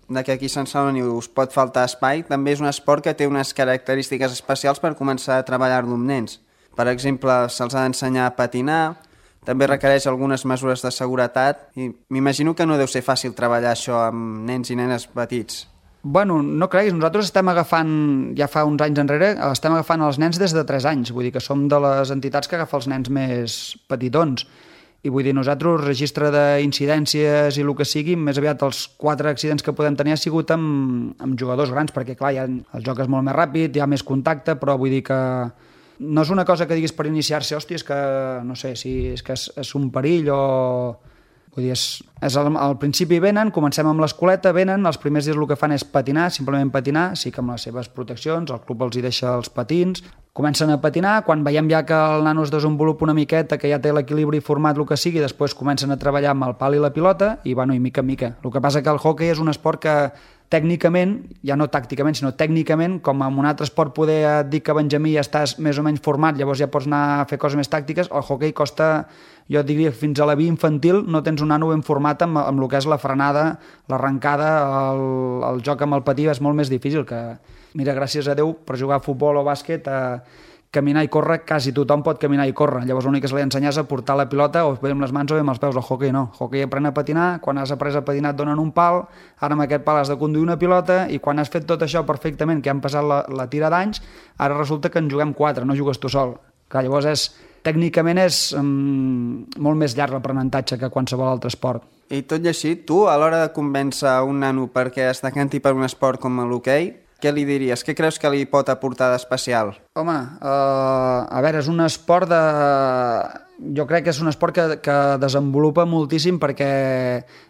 de que aquí a Sant Celoni us pot faltar espai, també és un esport que té unes característiques especials per començar a treballar-lo amb nens. Per exemple, se'ls ha d'ensenyar a patinar, també requereix algunes mesures de seguretat i m'imagino que no deu ser fàcil treballar això amb nens i nenes petits. Bueno, no creguis, nosaltres estem agafant, ja fa uns anys enrere, estem agafant els nens des de 3 anys, vull dir que som de les entitats que agafa els nens més petitons. I vull dir, nosaltres, registre d'incidències i el que sigui, més aviat els 4 accidents que podem tenir ha sigut amb jugadors grans, perquè clar, el joc és molt més ràpid, hi ha més contacte, però vull dir que no és una cosa que diguis per iniciar-se, hòstia, és que no sé, si és que és un perill o... Vull dir, al principi venen, comencem amb l'escoleta, venen, els primers dies el que fan és patinar, simplement patinar, sí que amb les seves proteccions, el club els hi deixa els patins, comencen a patinar, quan veiem ja que el nano es desenvolupa una miqueta, que ja té l'equilibri format, el que sigui, després comencen a treballar amb el pal i la pilota, i bueno, i mica en mica. El que passa que el hoquei és un esport que tècnicament, ja no tàcticament, sinó tècnicament, com en un altre esport poder et dir que Benjamí ja estàs més o menys format, llavors ja pots anar a fer coses més tàctiques, el hoquei costa, jo et diria, fins a la via infantil no tens un nano ben format amb el que és la frenada, l'arrencada, el joc amb el patí és molt més difícil que... Mira, gràcies a Déu, per jugar a futbol o bàsquet, caminar i córrer, quasi tothom pot caminar i córrer. Llavors l'únic que se li ensenyar és a portar la pilota o bé amb les mans o bé amb els peus. El hoquei no. El hoquei aprèn a patinar, quan has après a patinar et donen un pal, ara amb aquest pal has de conduir una pilota i quan has fet tot això perfectament, que han passat la tira d'anys, ara resulta que en juguem 4, no jugues tu sol. Clar, llavors tècnicament és molt més llarg l'aprenentatge que qualsevol altre esport. I tot i així, tu, a l'hora de convèncer un nano perquè es decanti per un esport com l'hoquei, què li diries? Què creus que li pot aportar d'especial? Home, a veure, és un esport de... Jo crec que és un esport que desenvolupa moltíssim perquè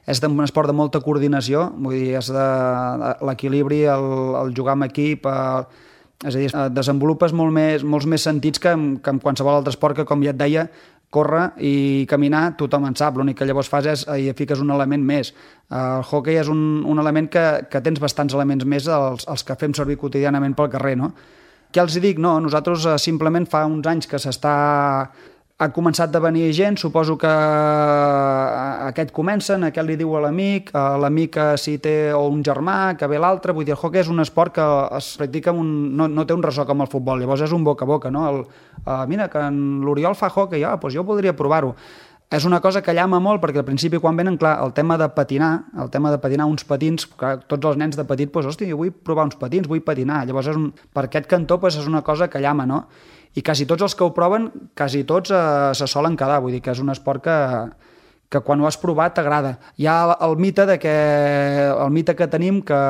és un esport de molta coordinació, vull dir, és l'equilibri, el jugar amb equip, és a dir, desenvolupes molts més sentits que en qualsevol altre esport que, com ja et deia, córrer i caminar, tothom en sap. L'únic que llavors fas és hi fiques un element més. El hoquei és un element que tens bastants elements més els que fem servir quotidianament pel carrer, no? Què els dic? No, nosaltres simplement fa uns anys que ha començat a venir gent, suposo que aquest comencen, aquest li diu a l'amic si té o un germà, que ve l'altre, vull dir, el hoquei és un esport que es practica, no té un ressò com el futbol, llavors és un boca a boca, no? Mira, que l'Oriol fa hoquei, doncs jo podria provar-ho. és una cosa que llama molt, perquè al principi quan venen, clar, el tema de patinar uns patins, que tots els nens de petit, doncs, hòstia, jo vull provar uns patins, vull patinar. Llavors, per aquest cantó, doncs, és una cosa que llama, no? I quasi tots els que ho proven, quasi tots se solen quedar, vull dir que és un esport que quan ho has provat t'agrada. Hi ha el mite que tenim que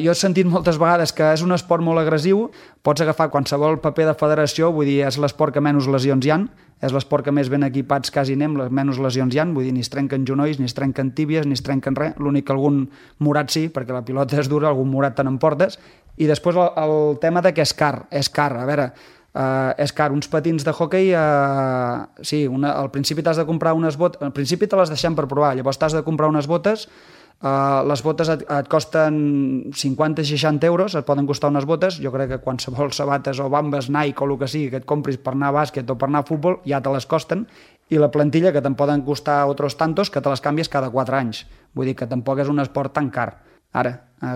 jo he sentit moltes vegades que és un esport molt agressiu, pots agafar qualsevol paper de federació, vull dir, és l'esport que menys lesions hi ha, és l'esport que més ben equipats quasi anem, menys lesions hi ha, vull dir, ni es trenquen genolls, ni es trenquen tíbies, ni es trenquen res, l'únic que algun morat sí, perquè la pilota és dura, algun morat te n'emportes, i després el tema de que és car, a veure, és car, uns patins de hoquei, sí, al principi t'has de comprar unes botes, al principi te les deixem per provar, llavors t'has de comprar unes botes. Les botes et costen 50-60 euros, et poden costar unes botes. Jo crec que qualsevol sabates o bambes Nike o el que sigui que et compris per anar a bàsquet o per anar a futbol ja te les costen, i la plantilla que te'n poden costar otros tantos que te les canvies cada 4 anys. Vull dir que tampoc és un esport tan car. Ara,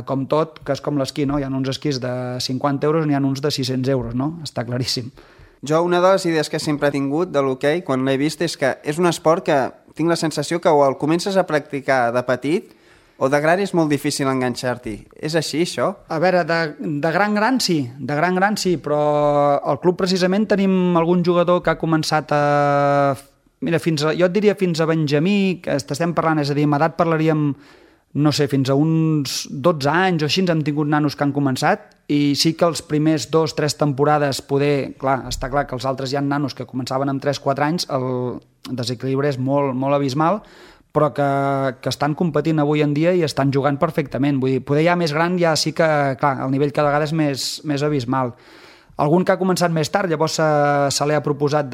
com tot, que és com l'esquí, no? Hi ha uns esquís de 50 euros, n'hi ha uns de 600 euros, no? Està claríssim. Jo, una de les idees que sempre he tingut de l'hoquei, quan l'he vist, és que és un esport que tinc la sensació que o el comences a practicar de petit o de gran és molt difícil enganxar-t'hi. És així, això? A veure, de gran sí, però al club precisament tenim algun jugador que ha començat a... Mira, jo et diria fins a Benjamí, que estem parlant, és a dir, amb edat parlaríem, no sé, fins a uns 12 anys o així hem tingut nanos que han començat, i sí que els primers 2-3 temporades està clar que els altres hi ha nanos que començaven amb 3-4 anys, el desequilibri és molt, molt abismal, però que estan competint avui en dia i estan jugant perfectament. Vull dir, poder ja més gran ja sí que, clar, el nivell cada vegada és més abismal. Algun que ha començat més tard, llavors se li ha proposat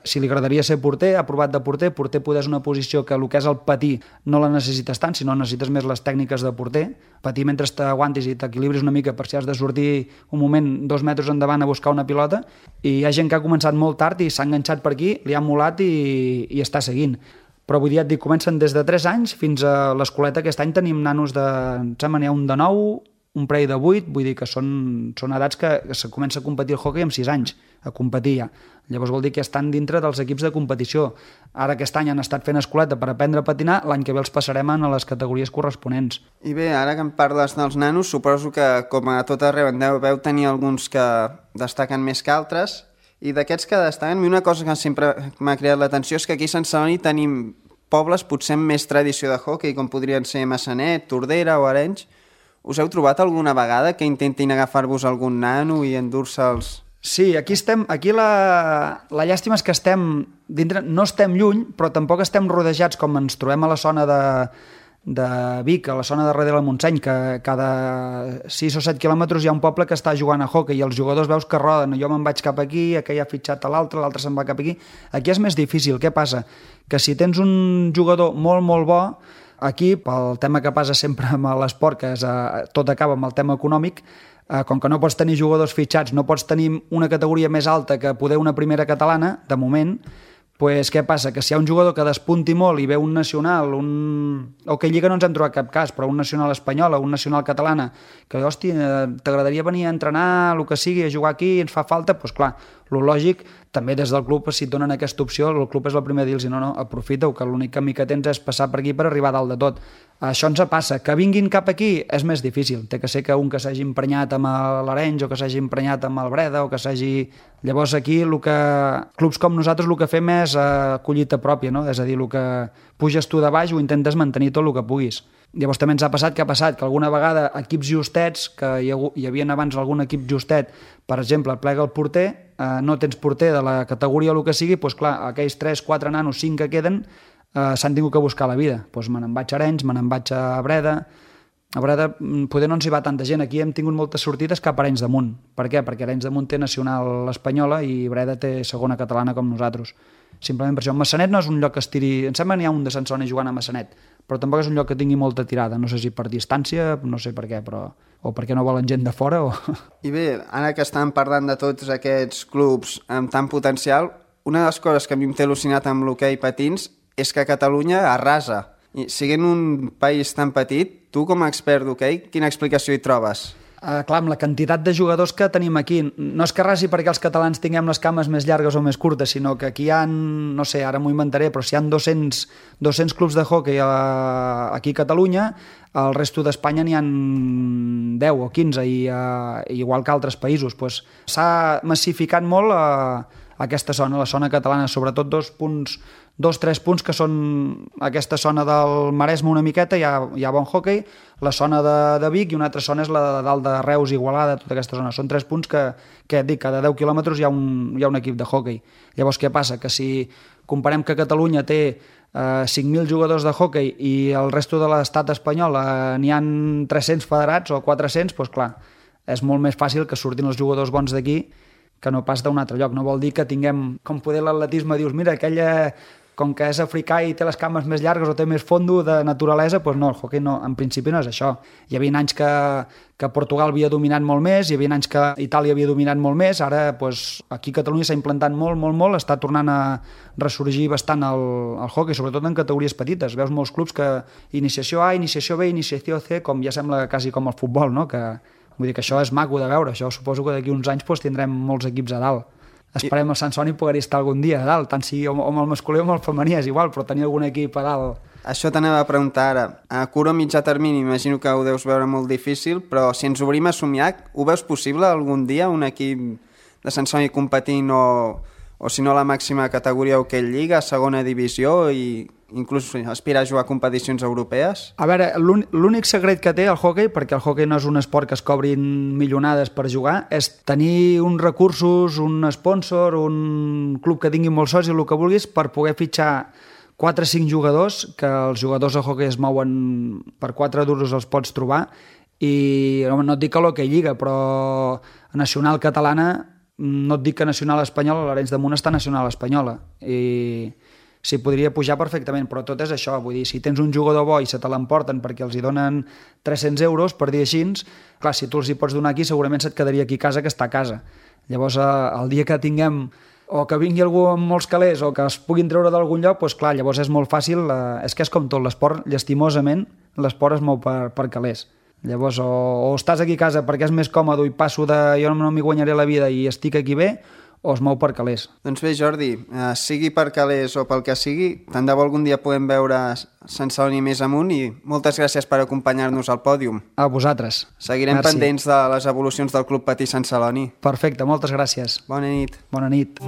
si li agradaria ser porter, ha provat de porter poder és una posició que el que és el patir no la necessites tant, sinó necessites més les tècniques de porter. Patir mentre t'aguantis i t'equilibris una mica per si has de sortir un moment 2 metres endavant a buscar una pilota, i hi ha gent que ha començat molt tard i s'ha enganxat per aquí, li ha molat i està seguint. Però vull dir, et dic, comencen des de 3 anys fins a l'escoleta. Aquest any tenim nanos em sembla n'hi ha un de 9, un parell de 8, vull dir que són edats que se comença a competir el hoquei amb 6 anys, a competir ja. Llavors vol dir que estan dintre dels equips de competició. Ara aquest any han estat fent escoleta per aprendre a patinar, l'any que ve els passarem a les categories corresponents. I bé, ara que em parles dels nanos, suposo que com a tot arreu en deveu tenir alguns que destaquen més que altres. I d'aquests que destaquen, una cosa que sempre m'ha creat l'atenció és que aquí a Sant Celoni tenim pobles potser amb més tradició de hoquei, com podrien ser Massanet, Tordera o Arenys. Us heu trobat alguna vegada que intentin agafar-vos algun nano i endur-se'ls? Sí, aquí la llàstima és que estem dintre, no estem lluny, però tampoc estem rodejats com ens trobem a la zona de Vic, a la zona de darrere del Montseny, que cada 6 o 7 quilòmetres hi ha un poble que està jugant a hoquei i els jugadors veus que roden, jo me'n vaig cap aquí, aquell ha fitxat a l'altre se'n va cap aquí. Aquí és més difícil. Què passa? Que si tens un jugador molt, molt bo, aquí, pel tema que passa sempre amb l'esport, que tot acaba amb el tema econòmic, com que no pots tenir jugadors fitxats, no pots tenir una categoria més alta que poder una primera catalana, de moment, doncs què passa? Que si hi ha un jugador que despunti molt i ve un nacional, o que Lliga no ens hem trobat cap cas, però un nacional espanyol o un nacional catalana, que, hòstia, t'agradaria venir a entrenar, el que sigui, a jugar aquí, ens fa falta, doncs clar, el lògic, també des del club, si et donen aquesta opció, el club és el primer a dir-los, no, aprofita-ho, que l'únic camí que tens és passar per aquí per arribar a dalt de tot. Això ens passa. Que vinguin cap aquí és més difícil. Té que ser que un que s'hagi emprenyat amb l'Arenys o que s'hagi emprenyat amb el Breda o que s'hagi... Llavors aquí clubs com nosaltres el que fem és collita pròpia, no? És a dir, el que puges tu de baix ho intentes mantenir tot el que puguis. Llavors també ens ha passat que alguna vegada equips justets, que hi havia abans algun equip justet, per exemple, et plega el porter, no tens porter de la categoria o el que sigui, doncs clar, aquells 3, 4 nanos, 5 que queden, s'han tingut que buscar la vida. Doncs me n'en vaig a Arenys, me n'en vaig a Breda. A Breda poder no ens hi va tanta gent. Aquí hem tingut moltes sortides cap a Arenys de Munt. Per què? Perquè Arenys de Munt té nacional espanyola i Breda té segona catalana com nosaltres. Simplement per això. Massanet no és un lloc que estiri... Em sembla que n'hi ha un de Sant Celoni jugant a Massanet, però tampoc és un lloc que tingui molta tirada. No sé si per distància, no sé per què, però... o perquè no volen gent de fora o... I bé, ara que estàvem parlant de tots aquests clubs amb tant potencial, una de les coses que a mi em té al·lucinat amb l'hoquei patins és que Catalunya arrasa. I sent un país tan petit, tu com a expert d'hoquei, quina explicació hi trobes? Clar, amb la quantitat de jugadors que tenim aquí, no és que rasi perquè els catalans tinguem les cames més llargues o més curtes, sinó que aquí hi ha, no sé, ara m'ho inventaré, però si hi ha 200 clubs de hoquei aquí a Catalunya, al resto d'Espanya n'hi ha 10 o 15, igual que altres països. Pues, s'ha massificat molt aquesta zona, la zona catalana, sobretot 2-3 punts que són aquesta zona del Maresme una miqueta, hi ha bon hoquei, la zona de Vic i una altra zona és la de dalt de Reus, Igualada, tota aquesta zona. Són 3 punts que et dic, cada 10 quilòmetres hi ha un equip de hoquei. Llavors què passa? Que si comparem que Catalunya té 5.000 jugadors de hoquei i el resto de l'estat espanyol n'hi ha 300 federats o 400, doncs clar, és molt més fàcil que surtin els jugadors bons d'aquí que no pas d'un altre lloc. No vol dir que tinguem, com poder l'atletisme, dius, mira, aquella, com que és africà i té les cames més llargues o té més fondo de naturalesa, doncs no, el hoquei no, en principi no és això. Hi havia anys que Portugal havia dominat molt més, hi havia anys que Itàlia havia dominat molt més, ara doncs, aquí a Catalunya s'ha implantat molt, està tornant a ressorgir bastant el hoquei, sobretot en categories petites. Veus molts clubs que iniciació A, iniciació B, iniciació C, com ja sembla quasi com el futbol, no? Vull dir que això és maco de veure, això suposo que d'aquí uns anys doncs, tindrem molts equips a dalt. Esperem el Sant Soni poder estar algun dia a dalt, tant si o amb el masculí o amb el femení és igual, però tenir algun equip a dalt. Això t'anava a preguntar ara. A curt o mitjà termini imagino que ho deus veure molt difícil, però si ens obrim a somiar, ho veus possible algun dia un equip de Sant Soni competint o si no la màxima categoria hoquei lliga, segona divisió i inclús aspirar a jugar a competicions europees? A veure, l'únic secret que té el hoquei, perquè el hoquei no és un esport que es cobrin milionades per jugar, és tenir uns recursos, un sponsor, un club que tingui molts socis, el que vulguis, per poder fitxar 4 o 5 jugadors, que els jugadors de hoquei es mouen per 4 duros els pots trobar, i no et dic que l'hoquei lliga, però a nacional catalana, no et dic que nacional espanyola, l'Arenys de Munt està nacional espanyola, i s'hi podria pujar perfectament, però tot és això, vull dir, si tens un jugador bo i se te l'emporten perquè els hi donen 300 euros per dir així, clar, si tu els hi pots donar aquí segurament se't quedaria aquí a casa que està a casa. Llavors, el dia que tinguem o que vingui algú amb molts calés o que es puguin treure d'algun lloc, doncs clar, llavors és molt fàcil, és que és com tot, l'esport, llastimosament, l'esport es mou per calés. Llavors, o estàs aquí a casa perquè és més còmode i passo de jo no m'hi guanyaré la vida i estic aquí bé, o es mou per calés. Doncs bé, Jordi, sigui per calés o pel que sigui, tant de bo algun dia podem veure Sant Celoni més amunt i moltes gràcies per acompanyar-nos al pòdium. A vosaltres. Seguirem pendents de les evolucions del Club Patí Sant Celoni. Perfecte, moltes gràcies. Bona nit. Bona nit.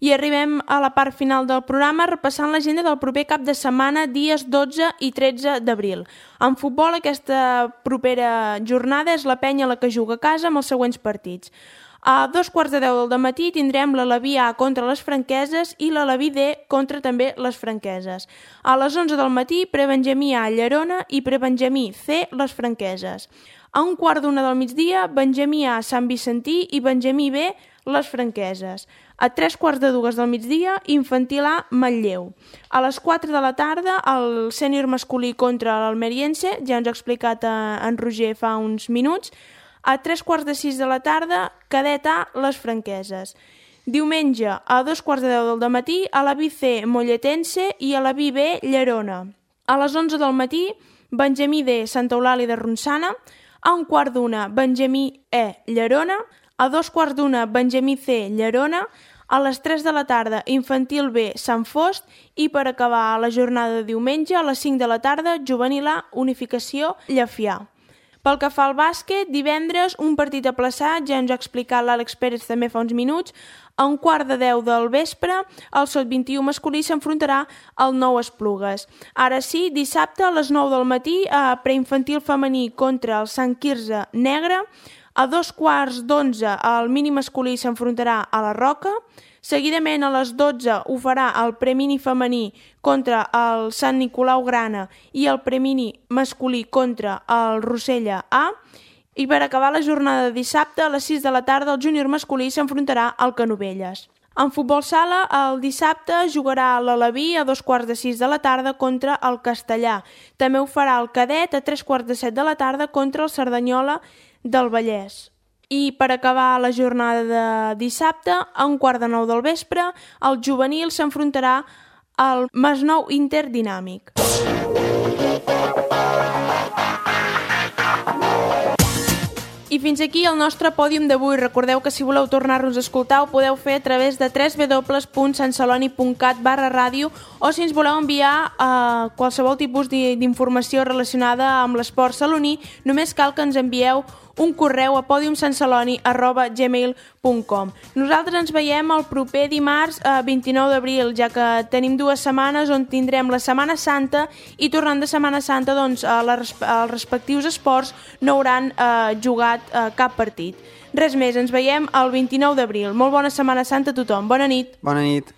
I arribem a la part final del programa repassant l'agenda del proper cap de setmana, dies 12 i 13 d'abril. En futbol, aquesta propera jornada és la Penya la que juga a casa amb els següents partits. A 2:15 del matí tindrem l'Aleví A contra les Franqueses i l'Aleví D contra també les Franqueses. A les 11 del matí, Prebenjamí A Llerona i Prebenjamí C les Franqueses. A 1:15 del migdia, Benjamí A Sant Vicentí i Benjamí B les Franqueses. A 3:15 del migdia, Infantil A Manlleu. A les 4 de la tarda, el sènior masculí contra l'Almeriense, ja ens ha explicat en Roger fa uns minuts. A 3:45 de la tarda, Cadet A les Franqueses. Diumenge, a 2:10 del matí, a la C Molletense i a la B Llerona. A les 11 del matí, Benjamí D Santa Eulàlia de Ronçana. A 1:15, Benjamí E Llerona. A 2:15, Benjamí C Llerona. A les 3 de la tarda, Infantil B Sant Fost i per acabar la jornada de diumenge, a les 5 de la tarda, Juvenil A Unificació Llefià. Pel que fa al bàsquet, divendres un partit aplaçat, ja ens ha explicat l'Àlex Pérez també fa uns minuts. A 1:15 del vespre, el Sot-21 masculí s'enfrontarà al Nou Esplugues. Ara sí, dissabte a les 9 del matí, a preinfantil femení contra el Sant Quirze Negre. A 2:15 el mini masculí s'enfrontarà a la Roca. Seguidament a les 12 ho farà el premini femení contra el Sant Nicolau Grana i el premini masculí contra el Rossella A. I per acabar la jornada de dissabte, a les 6 de la tarda, el júnior masculí s'enfrontarà al Canovelles. En futbol sala, el dissabte jugarà l'Aleví a 2:15 de la tarda contra el Castellà. També ho farà el Cadet a 3:15 de la tarda contra el Cerdanyola del Vallès. I per acabar la jornada de dissabte, a 1:15 del vespre, el juvenil s'enfrontarà al Masnou Interdinàmic. I fins aquí el nostre pòdium d'avui. Recordeu que si voleu tornar-nos a escoltar ho podeu fer a través de www.santceloni.cat/ràdio o si ens voleu enviar qualsevol tipus d'informació relacionada amb l'esport saloní, només cal que ens envieu un correu a podiumsantceloni@gmail.com. Nosaltres ens veiem el proper dimarts 29 d'abril, ja que tenim 2 setmanes on tindrem la Setmana Santa i tornant de Setmana Santa doncs, els respectius esports no hauran jugat cap partit. Res més, ens veiem el 29 d'abril. Molt bona Setmana Santa a tothom. Bona nit. Bona nit.